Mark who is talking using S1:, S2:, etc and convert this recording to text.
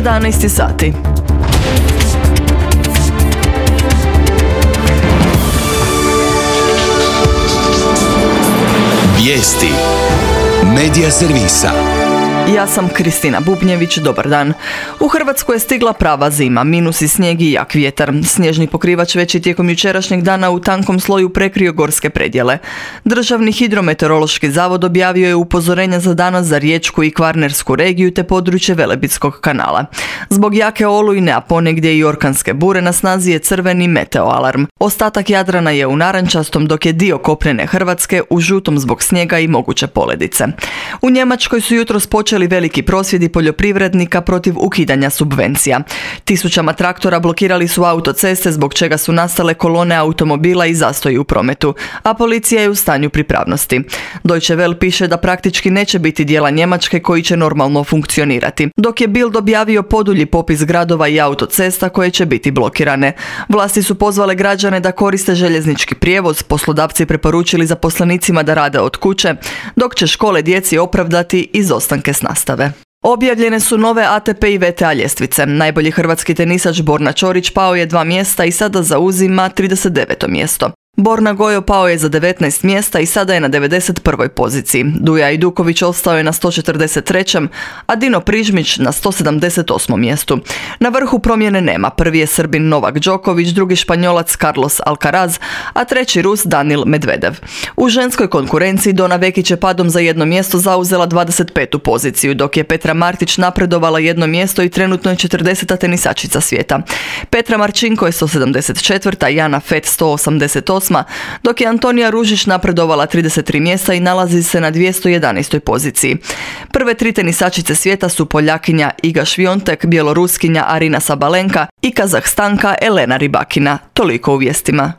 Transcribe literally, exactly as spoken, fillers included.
S1: jedanaest sati.
S2: Vijesti Medija servisa.
S1: Ja sam Kristina Bubnjević, dobar dan. U Hrvatsku je stigla prava zima, minus i snijeg i jak vjetar. Snježni pokrivač već je tijekom jučerašnjeg dana u tankom sloju prekrio gorske predjele. Državni hidrometeorološki zavod objavio je upozorenja za danas za Riječku i Kvarnersku regiju te područje Velebitskog kanala. Zbog jake olujne, a ponegdje i orkanske bure na snazi je crveni meteo alarm. Ostatak Jadrana je u narančastom, dok je dio kopnene Hrvatske u žutom zbog snijega i moguće poledice. U Njemačkoj su jutros počeli veliki prosvjedi poljoprivrednika protiv ukidanja subvencija. Tisućama traktora blokirali su autoceste, zbog čega su nastale kolone automobila i zastoji u prometu, a policija je u stanju pripravnosti. Deutsche Welle piše da praktički neće biti dijela Njemačke koji će normalno funkcionirati, dok je Bild objavio podulji popis gradova i autocesta koje će biti blokirane. Vlasti su pozvale građane da koriste željeznički prijevoz, poslodavci preporučili zaposlenicima da rade od kuće, dok će škole djeci opravdati izostanke s nastave. Objavljene su nove A T P i V T A ljestvice. Najbolji hrvatski tenisač Borna Ćorić pao je dva mjesta i sada zauzima trideset deveto mjesto. Borna Gojo pao je za devetnaest mjesta i sada je na devedeset prvoj poziciji. Duja Ajduković ostao je na sto četrdeset trećem a Dino Prižmić na sto sedamdeset osmom mjestu. Na vrhu promjene nema. Prvi je Srbin Novak Đoković, drugi Španjolac Carlos Alcaraz, a treći Rus Danil Medvedev. U ženskoj konkurenciji Dona Vekić je padom za jedno mjesto zauzela dvadeset petu poziciju, dok je Petra Martić napredovala jedno mjesto i trenutno je četrdeseta tenisačica svijeta. Petra Marčinko je sto sedamdeset četvrta, Jana Fett sto osamdeset osma, dok je Antonija Ružić napredovala trideset tri mjesta i nalazi se na dvjesto jedanaestoj poziciji. Prve tri tenisačice svijeta su Poljakinja Iga Šviontek, Bjeloruskinja Arina Sabalenka i Kazahstanka Elena Rybakina. Toliko u vijestima.